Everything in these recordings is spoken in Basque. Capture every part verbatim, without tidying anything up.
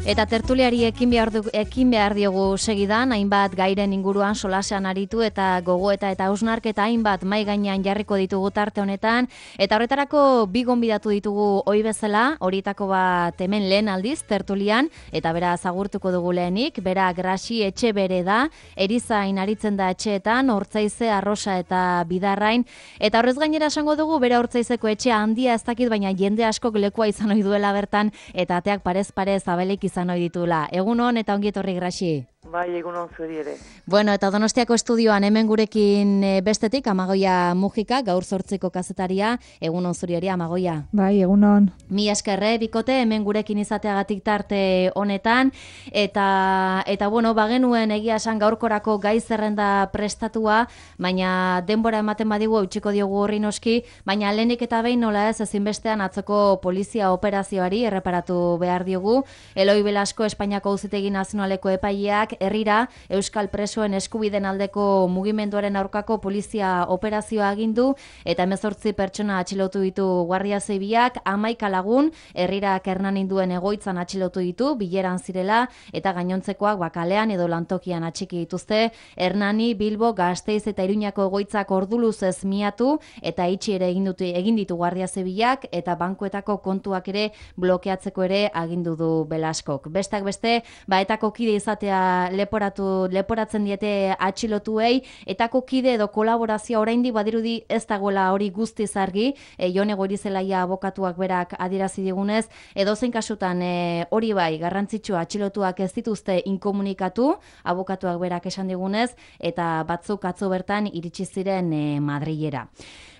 Eta tertuliari ekin behar, du, ekin behar diogu segidan, hainbat gairen inguruan solasean aritu eta gogoeta eta hausnarketa hainbat mai gainean jarriko ditugu tarte honetan. Eta horretarako bi gonbidatu ditugu ohi bezala, horietako bat hemen lehen aldiz tertulian, eta bera zagurtuko dugu lehenik, bera Grasi Etxebere da, erizain aritzen da etxeetan, Ortzaize, Arrosa eta Bidarrain. Eta horrez gainera esango dugu, bera Ortzaizeko etxea handia ez dakit, baina jende askok lekua izan ohi duela bertan, eta ateak parez parez abelik izan ohi ditula. Egun hon eta ongi etorri Grasi. Bai, egun hon zuri ere. Bueno, eta Donostiako estudioan hemen gurekin bestetik Amagoia Mujika, gaur zortziko kazetaria. Egun hon zuri ere, Amagoia. Bai, egun hon. Mi eskerre, bikote, hemen gurekin izateagatik tarte honetan. Eta, eta bueno, bagenuen egia esan gaurkorako gai zerrenda prestatua, baina denbora ematen badigu eutxiko diogu horri noski, baina lehenik eta behin nola ez ezinbestean atzoko polizia operazioari erreparatu behar diogu. Eloi Belasko Espainiako Auzitegi Nazionaleko epaileak herrira euskal presoen eskubiden aldeko mugimenduaren aurkako polizia operazioa agindu eta hemezortzi pertsona atxilotu ditu Guardia Zibilak, hamaika lagun herrirak Hernaninduen egoitzan atxilotu ditu bileran zirela eta gainontzekoak bakalean edo lantokian atxiki dituzte. Hernani, Bilbo, Gasteiz eta Iruñako egoitzak orduluzez miatu eta itxi ere egin dute egin ditu Guardia Zibilak eta bankuetako kontuak ere blokeatzeko ere agindu du Belaskok. Bestak beste, baetako kide izatea leporatu leporatzen diete atxilotuei, etako kide edo kolaborazioa oraindik badirudi ez dagoela hori guztiz argi, e, Jone Goirizelaia abokatuak berak adierazi digunez, edozein kasutan e, hori bai garrantzitsua atxilotuak ez dituzte inkomunikatu, abokatuak berak esan digunez, eta batzuk atzo bertan iritsi ziren e, Madrilera.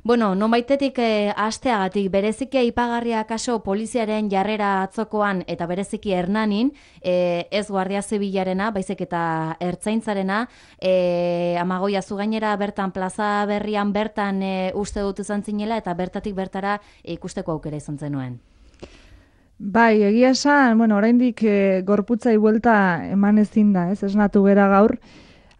Bueno, nonbaitetik eh, asteagatik bereziki aipagarria kaso poliziaren jarrera atzokoan eta bereziki Hernanin, eh, ez Guardia Zibilarena, baizik eta Ertzaintzarena, eh, Amagoia zu gainera bertan plaza berrian bertan eh, uste dut izan zinela eta bertatik bertara eh, ikusteko aukera izan zenuen. Bai, egia esan, bueno, oraindik eh, gorputzai buelta eman ezin da, ez esnatu gera gaur.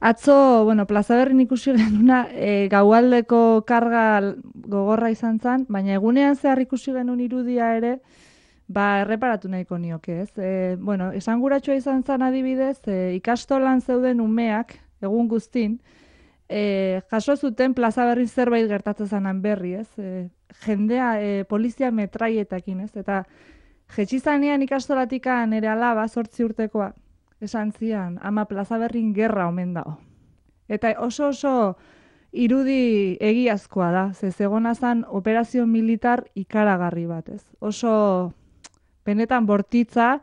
Atzo, bueno, Plaza Berrin ikusi genuna e, gaualdeko karga gogorra izan zen, baina egunean zehar ikusi genuen irudia ere, ba, erreparatu nahiko nioke, ez? E, bueno, esanguratsua izan zen adibidez, e, ikastolan zeuden umeak, egun guztin, e, jaso zuten Plaza Berrin zerbait gertatzen zanan berri, ez? E, jendea, e, polizia metraietakin, ez? Eta jetxizanean ikastolatikan ere alaba, zortzi urtekoa, esan zian, ama Plaza Berrin gerra omen dago. Eta oso oso irudi egiazkoa da, ze zegona zan operazio militar ikaragarri bat, ez. Oso benetan bortitza,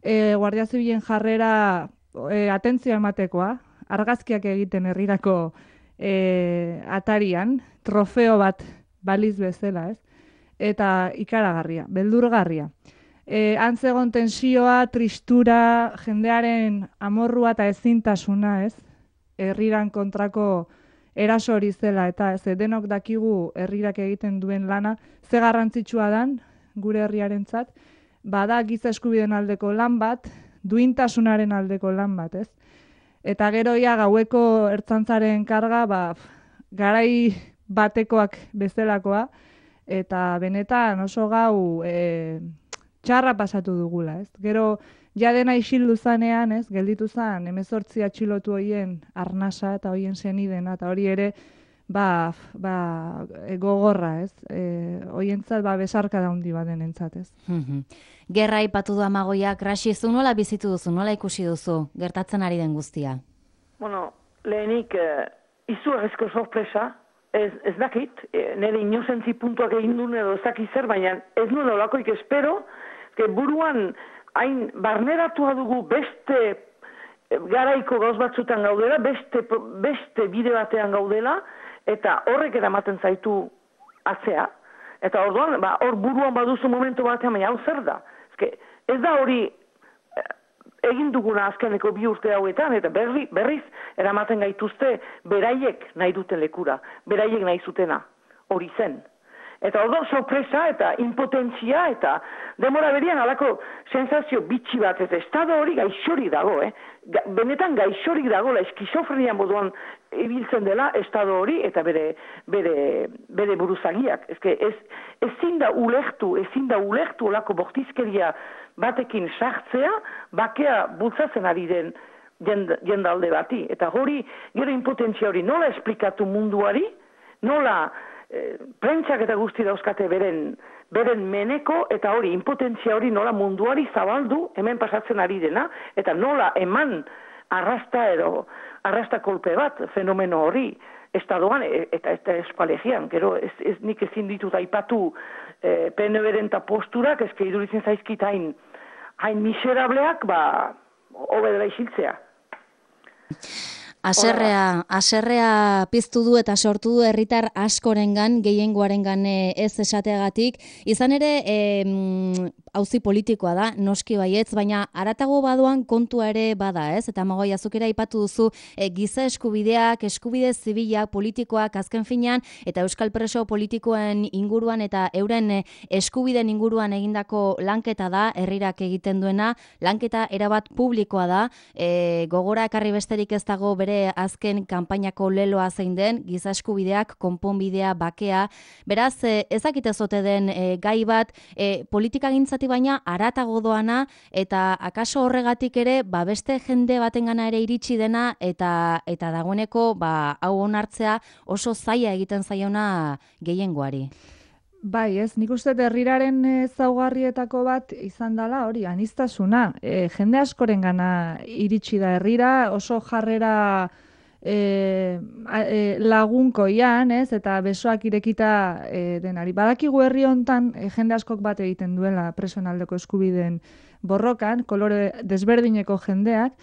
e, Guardia Zibilen jarrera e, atentzioa ematekoa, argazkiak egiten herrirako e, atarian, trofeo bat baliz bezala, ez. Eta ikaragarria, beldurgarria. E, antzegon tensioa, tristura, jendearen amorrua eta ezintasuna, ez? Herriran kontrako eraso hori zela, eta ez, denok dakigu herrirak egiten duen lana, ze garrantzitsua dan, gure herriarentzat, bada giza eskubideen aldeko lan bat, duintasunaren aldeko lan bat, ez? Eta geroia gaueko ertzaintzaren karga, ba, garai batekoak bezalakoa, eta benetan oso gau e, txarra pasatu dugula, ez? Gero, ja dena isildu zanean, ez? Gelditu zan, hemezortzi atxilotu hoien arnasa eta hoien senidena, eta hori ere, ba, ba, gogorra, ez? E, hoientzat, ba, besarka daundi badenentzat, ez? Gerra aipatu du Amagoia, Grasi, zu nola bizitu duzu, nola ikusi duzu, gertatzen ari den guztia? Bueno, lehenik, eh, izugarrizko sorpresa, ez, ez dakit, eh, nire inozentzi puntuak egin duen edo ez dakit zer, baina ez nuen olakoik espero, que buruan hain barneratua dugu beste garaiko gauz batzutan gaudela, beste, beste bide batean gaudela, eta horrek eramaten zaitu atzea. Eta orduan, ba, hor buruan baduzu momentu batean, baina hau zer da. Ezke, ez da hori egin duguna azkeneko bi urte hauetan, eta berri, berriz eramaten gaituzte beraiek nahi duten lekura, beraiek nahi zutena, hori zen. Eta orduan sorpresa eta impotentzia eta demora berian alako sensazio bitxi bat, eta estado hori gaixorik dago, eh? Ga, benetan gaixorik dago, la eskizofrenia moduan ibiltzen dela estado hori eta bere, bere, bere buruzagiak. Ez, ez, ezin da ulertu, ezin da ulertu olako bortizkeria batekin sartzea, bakea bultzatzen ari den jendalde bati. Eta hori, gero impotentzia hori nola esplikatu munduari, nola eh, prentsak eta guzti dauzkate beren, beren meneko, eta hori, impotentzia hori nola munduari zabaldu, hemen pasatzen ari dena, eta nola eman arrasta edo, arrasta kolpe bat fenomeno hori, estadoan eta eta eskualegian, gero ez, ez nik ezin ditut aipatu eh, P N B-ren eta posturak, ezke iduritzen zaizkit hain, hain miserableak, ba, hobedela isiltzea. Aserrea, aserrea piztu du eta sortu du herritar askorengan, gehiengoarengan ez esateagatik. Izan ere, e, auzi politikoa da, noski baietz, baina haratago badoan kontua ere bada, ez? Eta Magoi, azukera aipatu duzu, e, giza eskubideak, eskubide zibilak, politikoak azken finean, eta euskal preso politikoen inguruan eta euren eskubideen inguruan egindako lanketa da, herrirak egiten duena, lanketa erabat publikoa da, e, gogora ekarri besterik ez dago bere azken kanpainako leloa zein den, giza eskubideak, konponbidea, bakea. Beraz, ezakite zote den e, gai bat, e, politika gintzati baina haratago doana, eta akaso horregatik ere, ba, beste jende batengana ere iritsi dena, eta eta dagoeneko, ba, hau onartzea oso zaila egiten zaiona gehiengoari. Bai, ez, nik uste herriraren ezaugarrietako bat izan dela hori, aniztasuna. E, jende askorengana iritsi da herrira, oso jarrera e, e, lagunkoian, ez, eta besoak irekita e, denari. Badakigu herri hontan e, jende askok bat egiten duela presoen aldeko eskubideen borrokan, kolore desberdineko jendeak,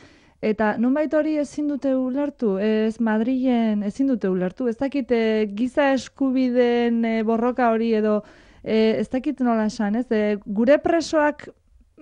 eta nonbait hori ezin dute ulertu, ez Madrilen ezin dute ulertu, ez dakit e, giza eskubideen e, borroka hori edo e, ez dakit nola esan, ez? E, gure presoak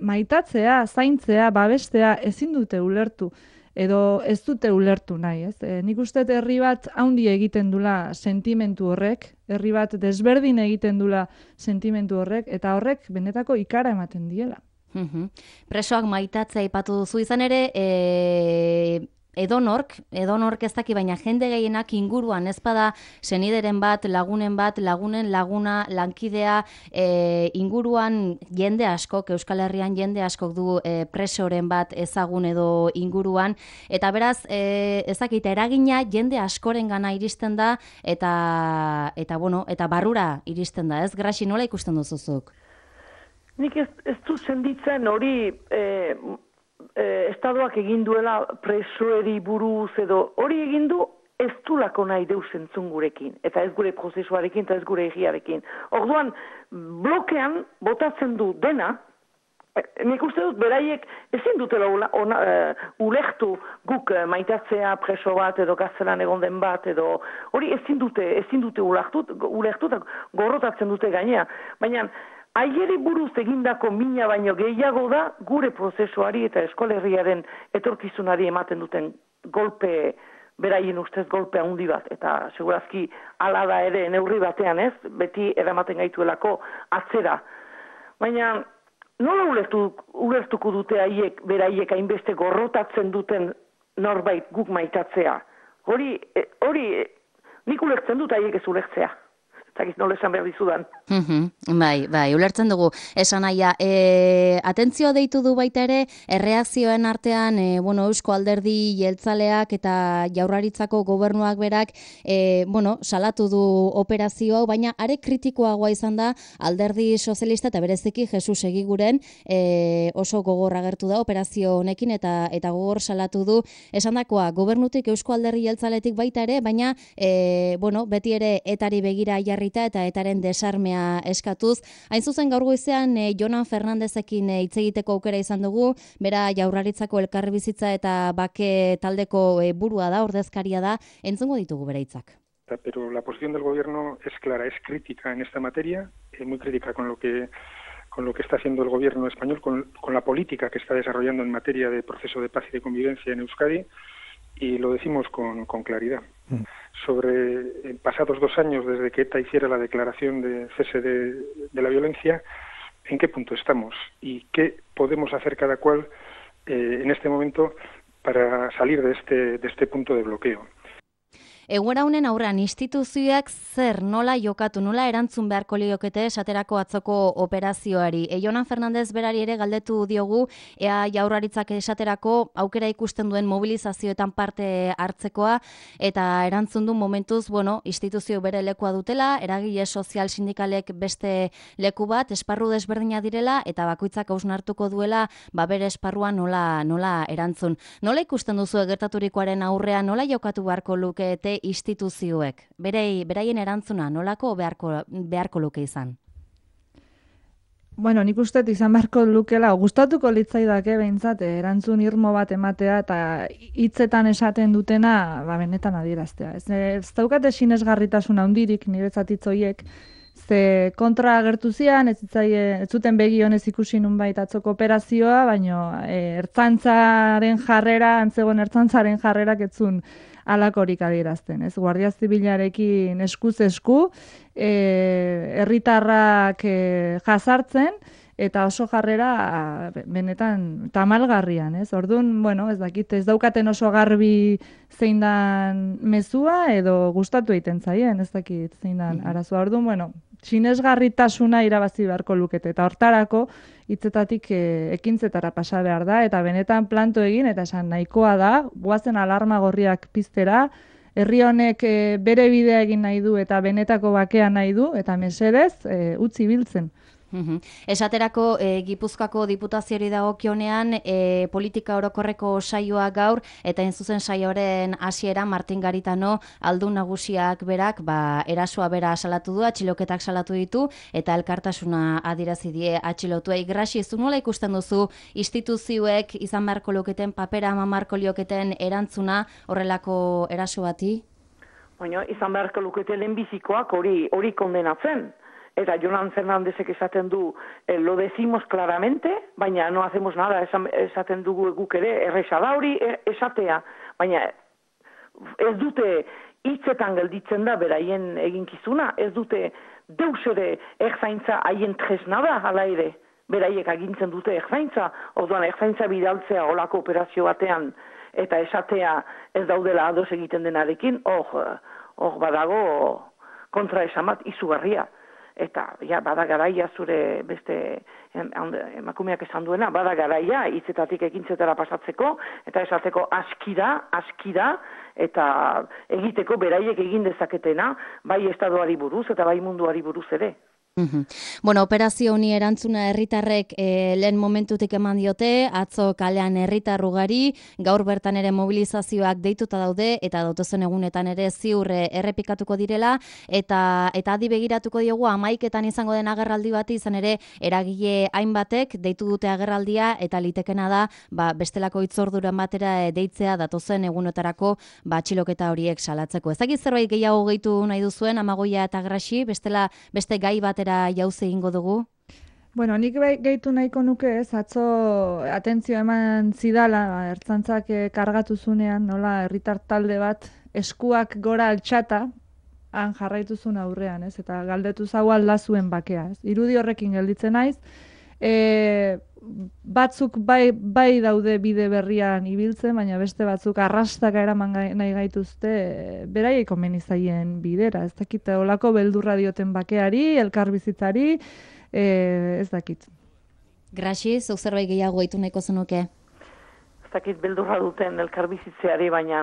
maitatzea, zaintzea, babestea ezin dute ulertu edo ez dute ulertu nahi, ez? E, nik uste herri bat haundi egiten dula sentimentu horrek, herri bat desberdin egiten dula sentimentu horrek, eta horrek benetako ikara ematen diela. Uhum. Presoak maitatzea aipatu duzu, izan ere e, edonork, edonork ez daki, baina jende gehienak inguruan ez bada senideren bat, lagunen bat, lagunen laguna, lankidea, e, inguruan jende askok, Euskal Herrian jende askok du e, presoren bat ezagun edo inguruan, eta beraz e, ez dakit eragina jende askorengana iristen da, eta eta bueno, eta barrura iristen da, ez? Graxi, nola ikusten duzuzuk? Nik ez, ez du senditzen hori e, e, estadoak egin duela presoeri buruz edo hori egin du ez du lako nahi deus entzun gurekin, eta ez gure prozesuarekin, eta ez gure egiarekin. Orduan, blokean botatzen du dena, e, nik uste dut beraiek ezin dutela ona, uh, ulektu guk uh, maitatzea preso bat edo gaztelan egon den bat, edo hori ezin dute, ezin dute ulektu, ulektu eta gorrotatzen dute gainea. Baina, aieri buruz egindako mina baino gehiago da gure prozesuari eta eskolerriaren etorkizunari ematen duten golpe, beraien ustez golpe handi bat. Eta segurazki hala da ere neurri batean, ez, beti eramaten gaituelako atzera. Baina nola ulertu, ulertuko dute haiek beraiek hainbeste gorrotatzen duten norbait guk maitatzea? Hori, hori nik ulertzen dut haiek ez ulertzea. Zagiz nola esan behar dizudan. Uhum, bai, bai, ulertzen dugu. Esan aia, e, atentzioa deitu du baita ere, erreakzioen artean, e, bueno, Eusko Alderdi Jeltzaleak eta Jaurlaritzako gobernuak berak, e, bueno, salatu du operazioa, baina are kritikoagoa izan da Alderdi Sozialista eta bereziki Jesus Egiguren e, oso gogor agertu da operazio honekin eta eta gogor salatu du esandakoa gobernutik Eusko Alderdi Jeltzaletik baita ere, baina e, bueno, beti ere etari begira jarri eta etaren desarmea eskatuz. Hain zuzen gaur goizean e, Jonan Fernandezekin hitz e, egiteko aukera izan dugu, bera Jaurlaritzako elkarbizitza eta bake taldeko e, burua da, ordezkaria da, entzungo ditugu bere hitzak. Pero la posición del gobierno es clara, es crítica en esta materia, es muy crítica con lo que con lo que está haciendo el gobierno español, con, con la política que está desarrollando en materia de proceso de paz y de convivencia en Euskadi, y lo decimos con, con claridad. Mm. sobre, pasados dos años desde que ETA hiciera la declaración de cese de, de la violencia, en qué punto estamos y qué podemos hacer cada cual eh, en este momento para salir de este, de este punto de bloqueo. Egoera honen aurrean instituzioak zer nola jokatu, nola erantzun beharko liokete esaterako atzoko operazioari. E, Jonan Fernandez berari ere galdetu diogu, ea Jaurlaritzak esaterako aukera ikusten duen mobilizazioetan parte hartzekoa, eta erantzun du momentuz, bueno, instituzio bere lekua dutela, eragile sozial sindikalek beste leku bat, esparru desberdina direla, eta bakoitzak hausnartuko duela, ba bere esparruan nola, nola erantzun. Nola ikusten duzu gertaturikoaren aurrean, nola jokatu beharko lukete instituzioek, berei, beraien erantzuna nolako beharko, beharko luke izan? Bueno, nik uste izan beharko lukela, gustatuko litzaidake behintzat erantzun irmo bat ematea eta hitzetan esaten dutena ba, benetan adieraztea. Ez, ez daukate sinesgarritasun handirik niretzat hitz horiek, ze kontra agertu zian, ez, ez zuten begi honez ikusi nunbait atzoko operazioa, baino e, ertzaintzaren jarrera, antzegoen ertzaintzaren jarrerak etzun alakorik adierazten, ez? Guardia Zibilarekin eskuz esku, herritarrak e, e, jazartzen, eta oso jarrera benetan tamalgarrian, ez? Orduan, bueno, ez dakit, ez daukaten oso garbi zein dan mezua, edo gustatu egiten zaien, ez dakit zein dan arazoa. Orduan, bueno, sinesgarritasuna irabazi beharko lukete, eta hortarako hitzetatik e, ekintzetara pasa behar da, eta benetan planto egin, eta esan nahikoa da, goazen alarma gorriak piztera, herri honek e, bere bidea egin nahi du, eta benetako bakea nahi du, eta mesedez, e, utzi biltzen. Uhum. Esaterako e, Gipuzkoako diputazioari dagokionean e, politika orokorreko saioa gaur eta hain zuzen saioaren hasiera Martin Garitano aldun nagusiak berak ba, erasoa bera salatu du, atxiloketak salatu ditu eta elkartasuna adierazi die atxilotuei. Graxi, zu nola ikusten duzu instituzioek izan beharko luketen papera eman beharko lioketen erantzuna horrelako eraso bati? Baina izan beharko luketen lehenbizikoak hori hori kondenatzen. Eta Jonan Fernandezek esaten du, eh, lo decimos claramente, baina no hacemos nada, esan, esaten dugu guk ere, erresa da hori esatea, baina ez dute hitzetan gelditzen da beraien eginkizuna, ez dute deus ere erzaintza haien tresna da, hala ere, beraiek agintzen dute erzaintza, orduan erzaintza bidaltzea olako operazio batean, eta esatea ez daudela ados egiten denarekin, hor, hor badago kontra esamat izugarria. Eta ja, bada garaia zure beste emakumeak esan duena, bada garaia hitzetatik ekintzetara pasatzeko, eta esateko askira, askira, eta egiteko beraiek egin dezaketena, bai estadoari buruz eta bai munduari buruz ere. Uhum. Bueno, operazio honi erantzuna herritarrek e, lehen momentutik eman diote, atzo kalean herritar ugari, gaur bertan ere mobilizazioak deituta daude eta datozen egunetan ere ziur errepikatuko direla eta eta adi begiratuko diogu hamaiketan izango den agerraldi bati izan ere eragile hainbatek deitu dute agerraldia eta litekena da ba, bestelako hitzorduren batera deitzea datozen egunetarako ba, atxiloketa horiek salatzeko. Ezagik zerbait gehiago gehitu nahi duzuen Amagoia eta Graxi, bestela beste gai batera jauze egingo dugu? Bueno, nik gehitu nahiko nuke ez, atzo atentzio eman zidala, ertzantzak kargatu zunean, nola, herritar talde bat eskuak gora altxata, han jarraitu zuen aurrean, ez, eta galdetu zau alda zuen bakea, ez. Irudi horrekin gelditzen naiz, e, batzuk bai, bai daude bide berrian ibiltzen, baina beste batzuk arrastaka eraman nahi gaituzte beraiek komeni zaien bidera. Ez dakit, olako beldurra dioten bakeari, elkarbizitzari, e, ez dakit. Graxi, zuk zerbait gehiago gaitu nahiko zenuke? Ez dakit beldurra duten elkarbizitzeari, baina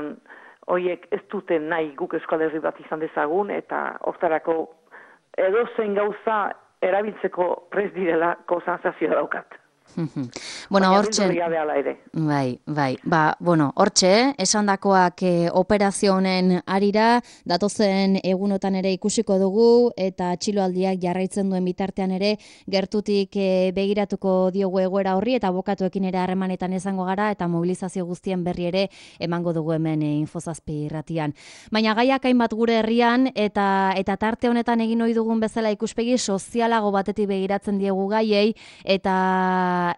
hoiek ez duten nahi guk Euskal Herri bat izan dezagun, eta hortarako edozein gauza erabiltzeko prest direlako sentsazioa daukat. Bueno, hortxe, bai, bai, ba, bueno, hortxe, esandakoak e, operazio honen arira, datozen egunotan ere ikusiko dugu, eta atxiloaldiak jarraitzen duen bitartean ere, gertutik e, begiratuko diogu egoera horri, eta bokatuekin ere harremanetan izango gara, eta mobilizazio guztien berri ere emango dugu hemen e, Infozazpi irratian. Baina gaiak hainbat gure herrian, eta eta tarte honetan egin ohi dugun bezala ikuspegi sozialago batetik begiratzen diegu gaiei, eta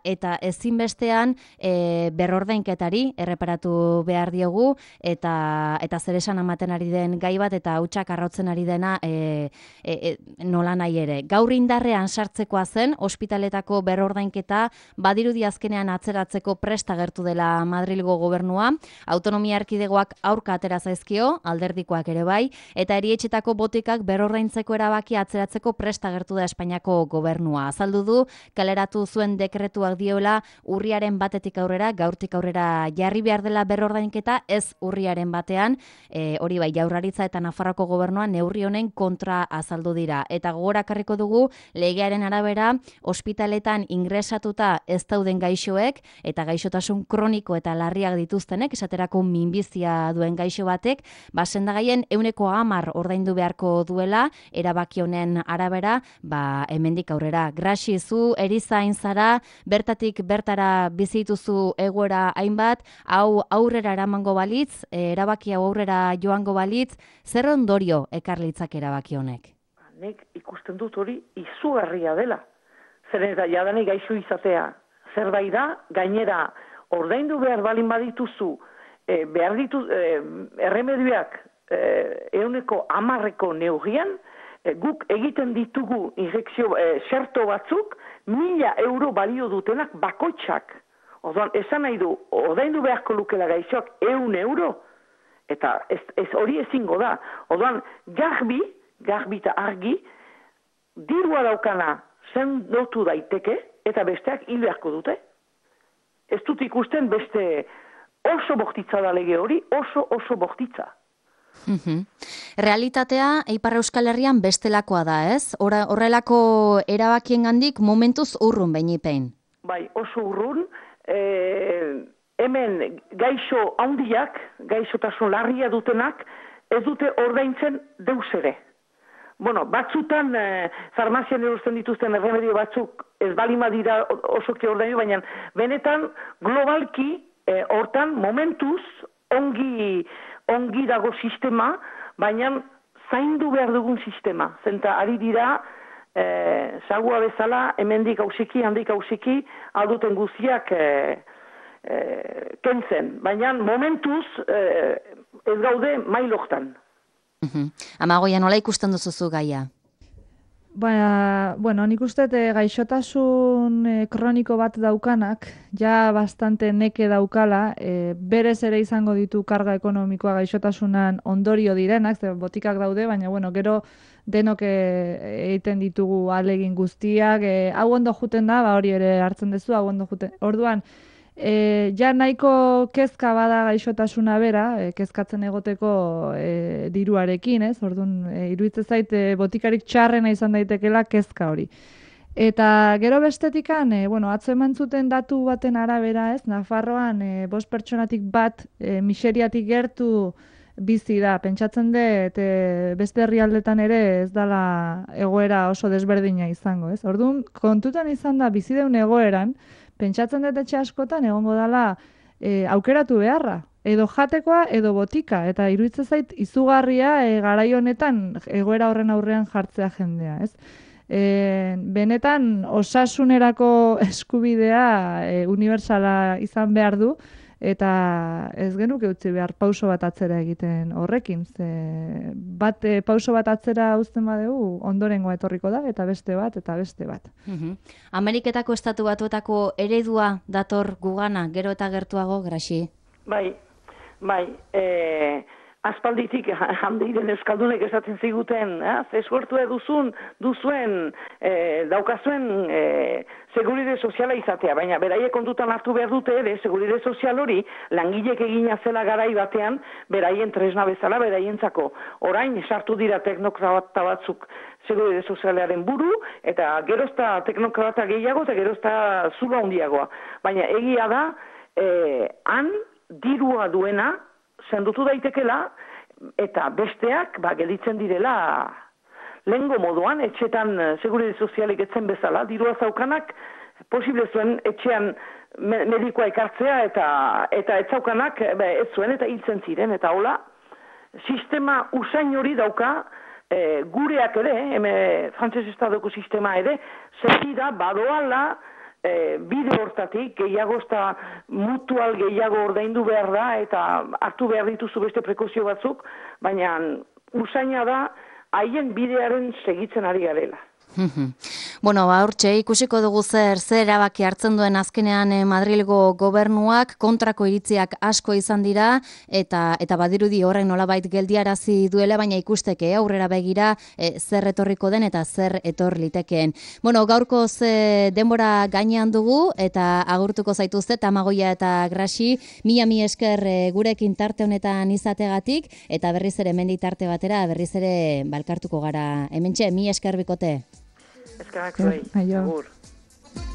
eta ezinbestean e, berrordainketari erreparatu behar diogu, eta eta zer esan ematen ari den gai bat, eta hautsak arrotzen ari dena e, e, e, nola nahi ere. Gaur indarrean sartzekoa zen, ospitaletako berrordainketa badirudi azkenean atzeratzeko prest agertu dela Madrilgo gobernua, autonomia erkidegoak aurka atera zaizkio, alderdikoak ere bai, eta erietxetako botikak berrordaintzeko erabaki atzeratzeko prest agertu da Espainiako gobernua. Azaldu du, kaleratu zuen dekretuak diola urriaren batetik aurrera, gaurtik aurrera jarri behar dela berrordainketa, ez urriaren batean, e, hori bai, Jaurlaritza eta Nafarroako gobernua neurri honen kontra azaldu dira. Eta gogorakarriko dugu, legearen arabera, ospitaletan ingresatuta ez dauden gaixoek, eta gaixotasun kroniko eta larriak dituztenek, esaterako minbizia duen gaixo batek, ba, sendagaien euneko hamar ordaindu beharko duela, erabaki honen arabera, ba, hemendik aurrera. Graxi, zu erizain zara, bertatik bertara bizituzu egoera hainbat, hau aurrera eramango balitz, erabaki hau aurrera joango balitz, zer ondorio ekarlitzak erabaki honek? Nik ikusten dut hori izugarria dela. Zeren eta jadanik gaixo izatea zerbait da, gainera ordaindu behar balin badituzu, e, behar ditu e, erremedioak e, euneko hamarreko neurrian, e, guk egiten ditugu injekzio e, xerto batzuk, mila euro balio dutenak bakoitzak. Orduan, esan nahi du, ordaindu beharko lukela gaixoak eun euro, eta ez, ez hori ezingo da. Orduan, garbi, garbi eta argi, dirua daukana sendotu daiteke, eta besteak hil beharko dute. Ez dut ikusten beste oso bortitza da lege hori, oso oso bortitza. Mm-hmm. Realitatea, Ipar Euskal Herrian bestelakoa da, ez? Hora, horrelako erabakiengandik momentuz urrun beinipein. Bai, oso urrun. E, hemen gaixo handiak, gaixotasun larria dutenak, ez dute ordaintzen deus ere. Bueno, batzutan e, farmazian erosten dituzten erremedio batzuk ez balima dira osoki ordainu, baina benetan globalki e, hortan momentuz ongi, ongi dago sistema, baina zaindu behar dugun sistema. Zenta ari dira e, sagua bezala hemendik hausiki, handik hausiki, alduten guztiak e, e, kentzen. Baina momentuz e, ez gaude mailoktan. Uhum. Amagoia, nola ikusten duzuzu gaia? Baina, bueno, nik uste e, gaixotasun e, kroniko bat daukanak, ja bastante neke daukala, e, berez ere izango ditu karga ekonomikoa gaixotasunan ondorio direnak, ze botikak daude, baina, bueno, gero denok egiten ditugu alegin guztiak, e, hau ondo juten da, ba hori ere hartzen duzu, hau ondo juten. Orduan, E, ja nahiko kezka bada gaixotasuna bera, e, kezkatzen egoteko e, diruarekin, ez? Orduan, e, iruditzen zait e, botikarik txarrena izan daitekela kezka hori. Eta gero bestetikan, e, bueno, atzo eman zuten datu baten arabera, ez? Nafarroan, e, bost pertsonatik bat e, miseriatik gertu bizi da. Pentsatzen dut e, beste herrialdetan ere ez dala egoera oso desberdina izango, ez? Orduan, kontutan izan da bizi deun egoeran, pentsatzen dut etxe askotan egongo dela e, aukeratu beharra, edo jatekoa edo botika, eta iruditzen zait izugarria e, garai honetan egoera horren aurrean jartzea jendea, ez? E, benetan osasunerako eskubidea e, unibertsala izan behar du, eta ez genuke utzi behar pauso bat atzera egiten horrekin. Ze bat e, pauso bat atzera uzten badegu, ondorengoa etorriko da, eta beste bat, eta beste bat. Uhum. Ameriketako estatu batuetako eredua dator gugana, gero eta gertuago, Graxi? Bai, bai, e, aspalditik handiren euskaldunek esaten ziguten, eh? Ze eskuertu duzun, duzuen, e, daukazuen e, seguride soziala izatea, baina beraiek kontutan hartu behar dute ere, seguride sozial hori, langilek egina zela garai batean, beraien tresna bezala, beraientzako. Orain, sartu dira teknokrata batzuk seguride sozialaren buru, eta gerozta teknokrata gehiago, eta gerozta zulo handiagoa. Baina egia da, e, han dirua duena, sendutu daitekela, eta besteak, ba, gelditzen direla lehengo moduan, etxetan seguride sozialik etzen bezala, dirua zaukanak, posible zuen etxean medikoa ekartzea, eta eta ez zaukanak, be, ez zuen, eta hiltzen ziren, eta hola, sistema usain hori dauka, e, gureak ere, eme, frantses estadoko sistema ere, zertida, badoala, e, bide hortatik, gehiago eta mutual gehiago ordaindu behar da, eta hartu behar dituzu beste prekozio batzuk, baina usaina da, haien bidearen segitzen ari garela. Bueno, ba, hortxe, ikusiko dugu zer, zer erabaki hartzen duen azkenean eh, Madrilgo gobernuak, kontrako iritziak asko izan dira, eta eta badirudi horrek nolabait geldiarazi duela, baina ikusteke aurrera begira eh, zer etorriko den eta zer etor litekeen. Bueno, gaurko ze denbora gainean dugu, eta agurtuko zaituzte Tamagoia eta Grasi, mila mi esker eh, gurekin tarte honetan izategatik, eta berriz ere hemendik tarte batera, berriz ere balkartuko gara. Hementxe, mi esker bikote. Eskerrak zuei, agur.